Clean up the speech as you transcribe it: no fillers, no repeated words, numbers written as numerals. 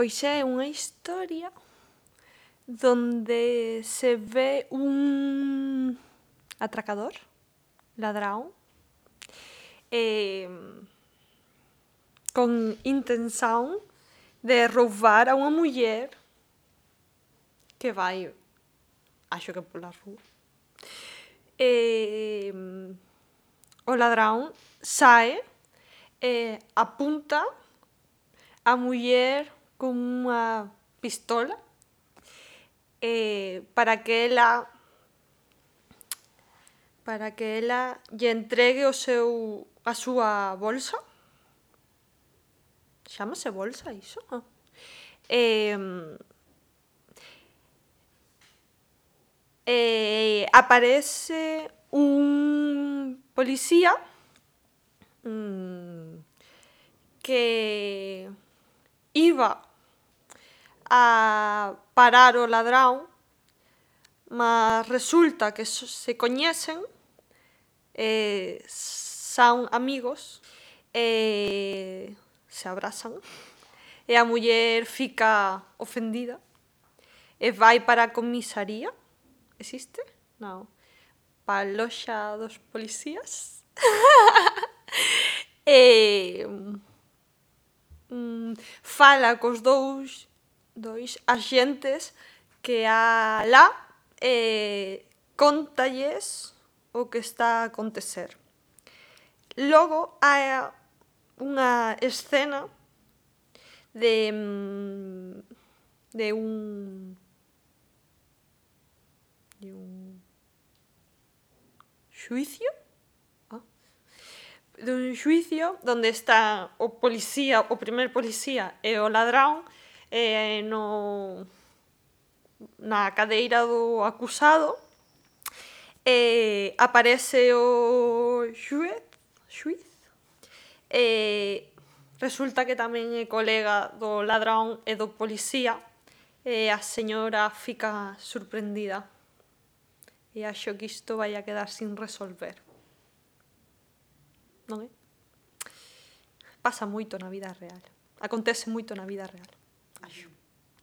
Pois é unha historia donde se ve un atracador, ladrón, con intención de roubar a unha muller que vai, acho que pola rúa. O ladrón sae e apunta a muller con unha pistola para que ela lle entregue a súa bolsa. Chámase bolsa iso? Aparece un policía que iba a parar o ladrón, mas resulta que se coñecen, son amigos, se abrazan, e a muller fica ofendida e vai para a comisaría. Existe? Non. Para a loxa dos policías. Fala cos dous axentes que há alá e cóntalles o que está a acontecer. Logo hai unha escena de un xuicio, donde está o policía, o primer policía e o ladrón na cadeira do acusado. Aparece o xuíz, resulta que tamén é colega do ladrón e do policía, e a señora fica sorprendida e acho que isto vai a quedar sin resolver, non é? Pasa moito na vida real, acontece moito na vida real, acho.